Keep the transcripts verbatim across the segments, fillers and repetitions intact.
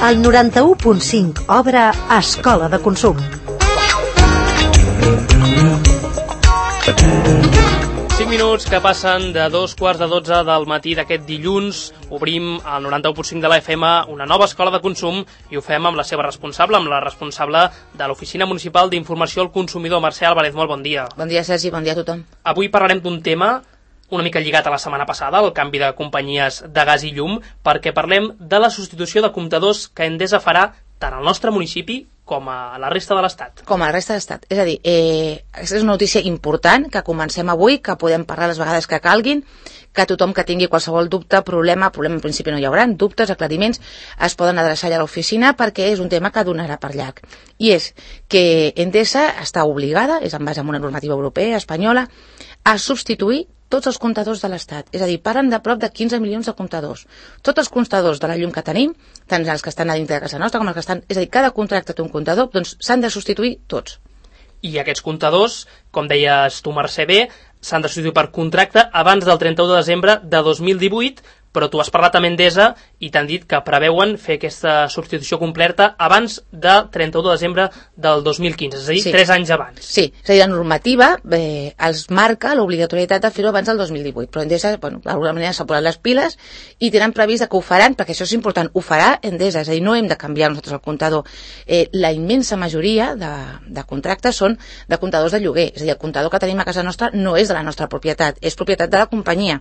El noranta-u punt cinc obre Escola de Consum. cinc minuts que passen de dos quarts de dotze del matí d'aquest dilluns. Obrim al noranta-u punt cinc de la F M una nova escola de consum i ho fem amb la seva responsable, amb la responsable de l'Oficina Municipal d'Informació al Consumidor, Mercè Álvarez. Molt bon dia. Bon dia, Sergi, bon dia a tothom. Avui parlarem d'un tema una mica lligat a la setmana passada, el canvi de companyies de gas i llum, perquè parlem de la substitució de comptadors que Endesa farà tant al nostre municipi com a la resta de l'Estat. Com a la resta de l'Estat. És a dir, eh, aquesta és una notícia important, que comencem avui, que podem parlar les vegades que calguin, que tothom que tingui qualsevol dubte, problema, problema en principi no hi haurà, dubtes, aclariments, es poden adreçar allà a l'oficina perquè és un tema que donarà per llarg. I és que Endesa està obligada, és en base a una normativa europea, espanyola, a substituir tots els comptadors de l'Estat. És a dir, parlen de prop de quinze milions de comptadors. Tots els comptadors de la llum que tenim, tant els que estan a dintre de casa nostra com els que estan... És a dir, cada contracte té un comptador, doncs s'han de substituir tots. I aquests comptadors, com deies tu, Mercè, bé, s'han de substituir per contracte abans del trenta-u de desembre de dos mil divuit, però tu has parlat amb Endesa i t'han dit que preveuen fer aquesta substitució completa abans del trenta-u de desembre del dos mil quinze, és a dir, Sí. tres anys abans. Sí, és a dir, la normativa eh, els marca l'obligatorietat de fer-ho abans del dos mil divuit, però Endesa, bueno, d'alguna manera s'ha posat les piles i tenen previst que ho faran, perquè això és important, ho farà Endesa, és a dir, no hem de canviar nosaltres el comptador. Eh, la immensa majoria de, de contractes són de comptadors de lloguer, és a dir, el comptador que tenim a casa nostra no és de la nostra propietat, és propietat de la companyia.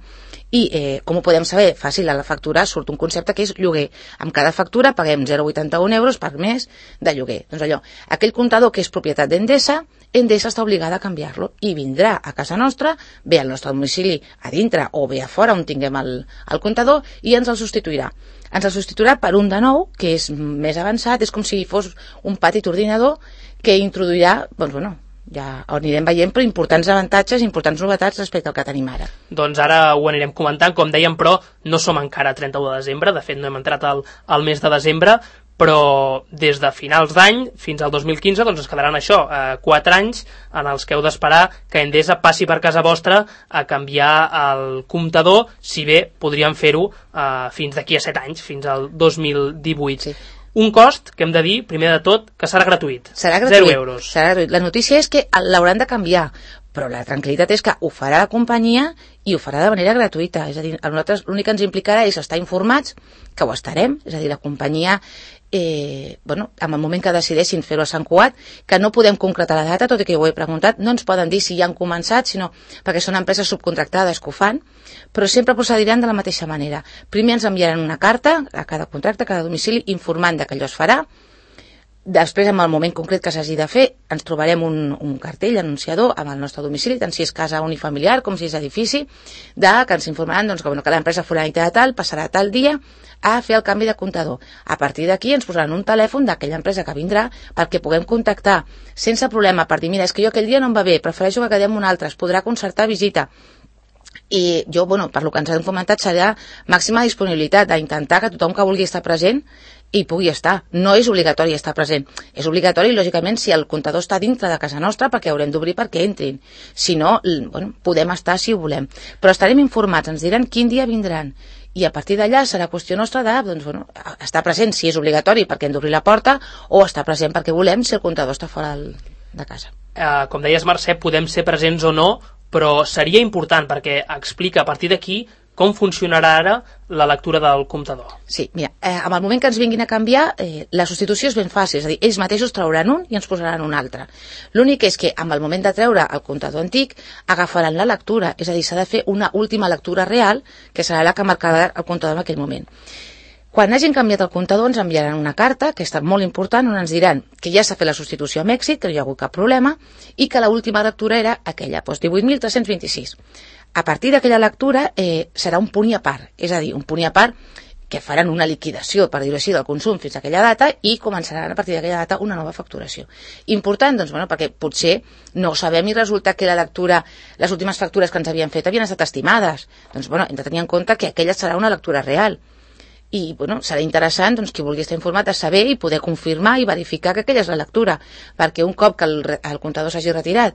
I, eh, com ho podem saber? Fàcil, a la factura surt un concepte que és lloguer. Amb cada factura paguem zero coma vuitanta-un euros per mes de lloguer. Doncs allò, aquell comptador que és propietat d'Endesa, Endesa està obligada a canviar-lo i vindrà a casa nostra, bé al nostre domicili a dintre o bé a fora on tinguem el, el comptador i ens el substituirà. Ens el substituirà per un de nou, que és més avançat, és com si fos un petit ordinador que introduirà, doncs bueno, ja ho anirem veient, però importants avantatges, importants novetats respecte al que tenim ara. Doncs ara ho anirem comentant, com dèiem, però no som encara a trenta-u de desembre, de fet no hem entrat al, al mes de desembre, però des de finals d'any fins al dos mil quinze doncs es quedaran això, eh, quatre anys en els que heu d'esperar que Endesa passi per casa vostra a canviar el comptador, si bé podríem fer-ho eh, fins d'aquí a set anys, fins al dos mil divuit. Sí. Un cost que hem de dir, primer de tot, que serà gratuït. Serà gratuït. Zero euros. Serà gratuït. La notícia és que l'hauran de canviar, però la tranquil·litat és que ho farà la companyia i ho farà de manera gratuïta. És a dir, a nosaltres l'únic que ens implicarà és estar informats, que ho estarem, és a dir, la companyia, eh, bueno, en el moment que decidessin fer-ho a Sant Cugat, que no podem concretar la data, tot i que jo ho he preguntat, no ens poden dir si ja han començat, sinó perquè són empreses subcontractades que ho fan, però sempre procediran de la mateixa manera. Primer ens enviaran una carta a cada contracte, a cada domicili, informant de que allò es farà. Després, en el moment concret que s'hagi de fer, ens trobarem un, un cartell anunciador amb el nostre domicili, tant si és casa unifamiliar com si és edifici, de, que ens informaran doncs, que, bueno, que l'empresa fulanita de tal passarà tal dia a fer el canvi de comptador. A partir d'aquí ens posaran un telèfon d'aquella empresa que vindrà perquè puguem contactar sense problema per dir, mira, és que jo aquell dia no em va bé, prefereixo que quedem un altre, es podrà concertar visita. I jo, bueno, per lo que ens han comentat, serà màxima disponibilitat d'intentar que tothom que vulgui estar present i pugui estar. No és obligatori estar present. És obligatori, lògicament, si el comptador està dintre de casa nostra, perquè haurem d'obrir perquè entrin. Si no, bueno, podem estar si ho volem. Però estarem informats, ens diran quin dia vindran. I a partir d'allà serà qüestió nostra de, doncs, bueno, estar present si és obligatori perquè hem d'obrir la porta o estar present perquè volem si el comptador està fora de casa. Eh, com deies, Mercè, podem ser presents o no, però seria important perquè explica a partir d'aquí com funcionarà ara la lectura del comptador. Sí, mira, eh, en el moment que ens vinguin a canviar, eh, la substitució és ben fàcil, és a dir, ells mateixos trauran un i ens posaran un altre. L'únic és que, en el moment de treure el comptador antic, agafaran la lectura, és a dir, s'ha de fer una última lectura real, que serà la que marcarà el comptador en aquell moment. Quan hagin canviat el comptador ens enviaran una carta, que està molt important, on ens diran que ja s'ha fet la substitució amb èxit, que no hi ha hagut cap problema, i que l'última lectura era aquella, doncs divuit mil tres-cents vint-i-sis. A partir d'aquella lectura eh, serà un punt i a part, és a dir, un punt i a part que faran una liquidació, per dir-ho així, del consum fins a aquella data i començaran a partir d'aquella data una nova facturació. Important, doncs, bueno, perquè potser no ho sabem i resulta que la lectura, les últimes factures que ens havien fet havien estat estimades. Doncs, bueno, hem de tenir en compte que aquella serà una lectura real. I, bueno, serà interessant, doncs, qui vulgui estar informat a saber i poder confirmar i verificar que aquella és la lectura, perquè un cop que el, el comptador s'hagi retirat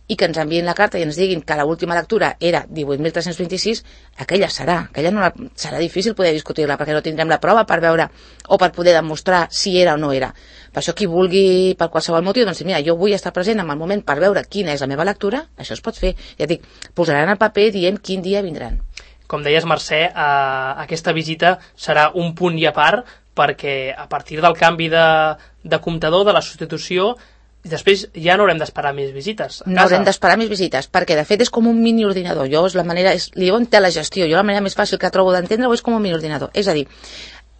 i que ens enviïn la carta i ens diguin que l'última lectura era divuit mil tres-cents vint-i-sis, aquella serà. Aquella no la, serà difícil poder discutir-la perquè no tindrem la prova per veure o per poder demostrar si era o no era. Per això qui vulgui, per qualsevol motiu, doncs mira, jo vull estar present en el moment per veure quina és la meva lectura, això es pot fer. Ja dic, posaran el paper dient quin dia vindran. Com deies, Mercè, eh, aquesta visita serà un punt i a part perquè a partir del canvi de, de comptador, de la substitució, després ja no haurem d'esperar més visites a casa. No haurem d'esperar més visites, perquè de fet és com un mini ordinador. Jo és la manera, és, li diuen telegestió, jo la manera més fàcil que trobo d'entendre-ho és com un mini ordinador. És a dir,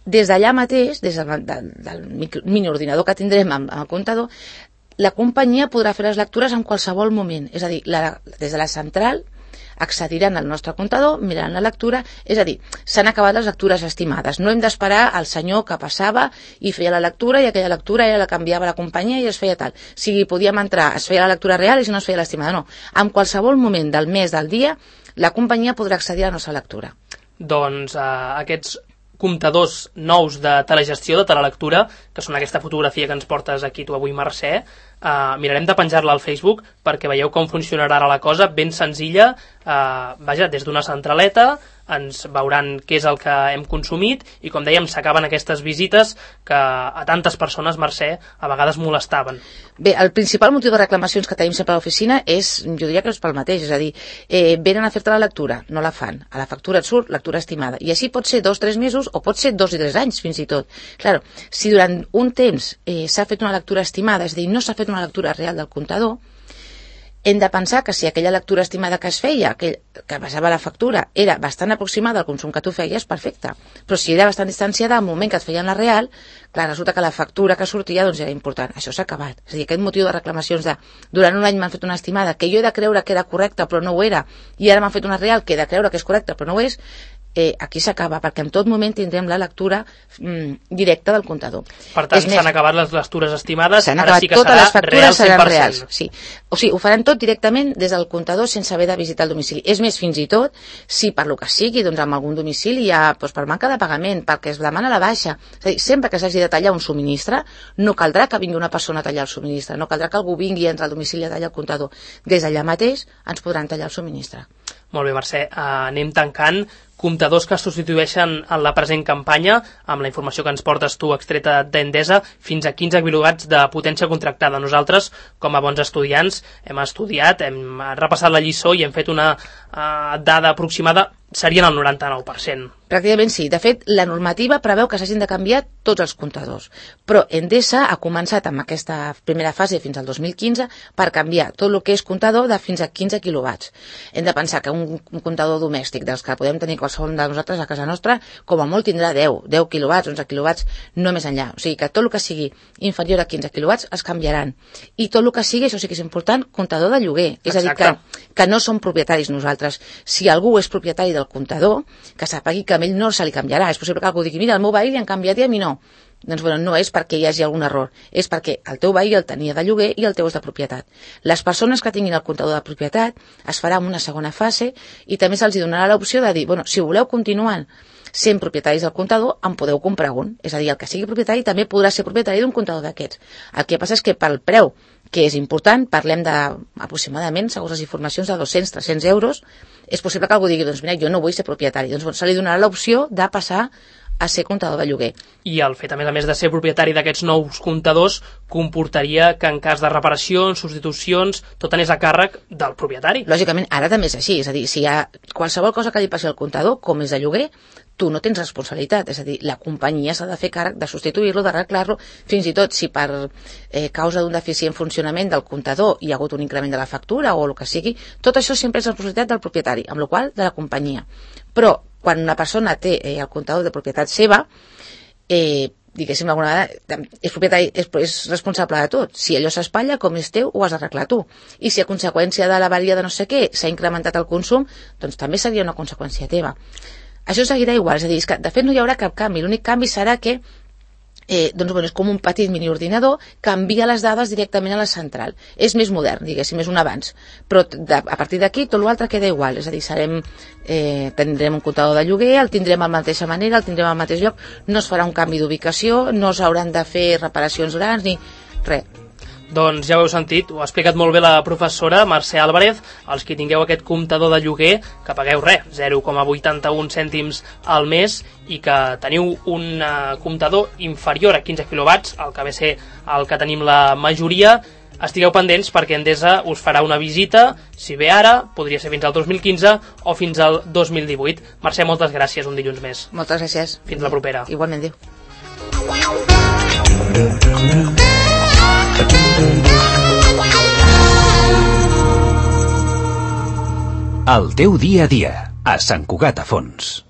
des d'allà mateix, des del, del, del mini ordinador que tindrem amb, amb el comptador, la companyia podrà fer les lectures en qualsevol moment. És a dir, la, des de la central accediran al nostre comptador, miraran la lectura, és a dir, s'han acabat les lectures estimades. No hem d'esperar al senyor que passava i feia la lectura i aquella lectura era la canviava la companyia i es feia tal. Si podíem entrar, es feia la lectura real i si no es feia l'estimada, no. En qualsevol moment del mes, del dia, la companyia podrà accedir a la nostra lectura. Doncs eh, aquests comptadors nous de telegestió, de telelectura, que són aquesta fotografia que ens portes aquí tu avui, Mercè, eh, mirarem de penjar-la al Facebook perquè veieu com funcionarà ara la cosa, ben senzilla, eh, vaja, des d'una centraleta, ens veuran què és el que hem consumit i, com dèiem, s'acaben aquestes visites que a tantes persones, Mercè, a vegades molestaven. Bé, el principal motiu de reclamacions que tenim sempre a l'oficina és, jo diria que és pel mateix, és a dir, eh, venen a fer-te la lectura, no la fan, a la factura et surt lectura estimada, i així pot ser dos, tres mesos o pot ser dos i tres anys, fins i tot. Claro, si durant un temps eh, s'ha fet una lectura estimada, és a dir, no s'ha fet una lectura real del comptador, hem de pensar que si aquella lectura estimada que es feia, que, que basava la factura, era bastant aproximada al consum que tu feies, perfecte. Però si era bastant distanciada al moment que et feien la real, clar, resulta que la factura que sortia doncs era important. Això s'ha acabat. És a dir, aquest motiu de reclamacions de durant un any m'han fet una estimada que jo he de creure que era correcta però no ho era, i ara m'han fet una real que he de creure que és correcta però no ho és, eh, aquí s'acaba, perquè en tot moment tindrem la lectura mm, directa del comptador. Per tant, s'han acabat les lectures estimades, ara sí que serà real cent per cent. Reals, sí. O sigui, ho faran tot directament des del comptador sense haver de visitar el domicili. És més, fins i tot, si per lo que sigui, doncs amb algun domicili hi ha, doncs per manca de pagament, perquè es demana la baixa, és a dir, sempre que s'hagi de tallar un subministre, no caldrà que vingui una persona a tallar el subministre, no caldrà que algú vingui a entrar al domicili a tallar el comptador. Des d'allà mateix ens podran tallar el subministre. Molt bé, Mercè, uh, anem tancant. Comptadors que substitueixen en la present campanya, amb la informació que ens portes tu extreta d'Endesa, fins a quinze quilowatts de potència contractada. Nosaltres, com a bons estudiants, hem estudiat, hem repassat la lliçó i hem fet una uh, dada aproximada, serien el noranta-nou per cent. Pràcticament sí. De fet, la normativa preveu que s'hagin de canviar tots els comptadors. Però Endesa ha començat amb aquesta primera fase fins al dos mil quinze per canviar tot el que és comptador de fins a quinze quilowatts. Hem de pensar que un, un comptador domèstic dels que podem tenir qualsevol de nosaltres a casa nostra, com a molt tindrà deu, deu quilowatts, onze quilowatts, no més enllà. O sigui que tot el que sigui inferior a quinze quilowatts es canviaran. I tot el que sigui, això sí que és important, comptador de lloguer. Exacte. És a dir, que, que no som propietaris nosaltres. Si algú és propietari del comptador, que sàpigui que a ell no se li canviarà. És possible que algú digui, mira, el meu veí li han canviat i a mi no. Doncs bueno, no és perquè hi hagi algun error, és perquè el teu veí el tenia de lloguer i el teu és de propietat. Les persones que tinguin el comptador de propietat es farà en una segona fase i també se'ls donarà l'opció de dir, bueno, si voleu continuar sent propietaris del comptador, en podeu comprar un. És a dir, el que sigui propietari també podrà ser propietari d'un comptador d'aquests. El que passa és que pel preu, que és important, parlem de aproximadament, segons les informacions, de dos-cents a tres-cents euros, és possible que algú digui, doncs mira, jo no vull ser propietari. Doncs bueno, se li donarà l'opció de passar a ser comptador de lloguer. I el fet, a més a més, de ser propietari d'aquests nous comptadors comportaria que en cas de reparacions, substitucions, tot anés a càrrec del propietari. Lògicament, ara també és així. És a dir, si hi ha qualsevol cosa que li passi al comptador, com és de lloguer, tu no tens responsabilitat. És a dir, la companyia s'ha de fer càrrec de substituir-lo, d'arreglar-lo, fins i tot si per eh, causa d'un deficient funcionament del comptador hi ha hagut un increment de la factura o el que sigui, tot això sempre és responsabilitat del propietari, amb la qual cosa de la companyia. Però quan una persona té eh, el comptador de propietat seva, eh, diguéssim, alguna vegada, és propietari, és, és responsable de tot. Si allò s'espatlla, com és teu, ho has d'arreglar tu. I si a conseqüència de l'avaria de no sé què s'ha incrementat el consum, doncs també seria una conseqüència teva. Això seguirà igual, és a dir, és que de fet no hi haurà cap canvi. L'únic canvi serà que eh, doncs, bueno, és com un petit miniordinador que envia les dades directament a la central. És més modern, diguéssim, és un avanç. Però de, a partir d'aquí tot l'altre queda igual, és a dir, serem, eh, tindrem un comptador de lloguer, el tindrem a la mateixa manera, el tindrem al mateix lloc, no es farà un canvi d'ubicació, no s'hauran de fer reparacions grans ni res. Doncs ja ho heu sentit, ho ha explicat molt bé la professora Mercè Álvarez. Els que tingueu aquest comptador de lloguer, que pagueu res, zero coma vuitanta-un cèntims al mes, i que teniu un uh, comptador inferior a quinze quilowatts, el que ve a ser el que tenim la majoria, estigueu pendents perquè Endesa us farà una visita, si bé ara, podria ser fins al dos mil quinze o fins al dos mil divuit. Mercè, moltes gràcies, un dilluns més. Moltes gràcies. Fins la propera. Igualment, adéu. El teu dia a dia, a Sant Cugat a Fons.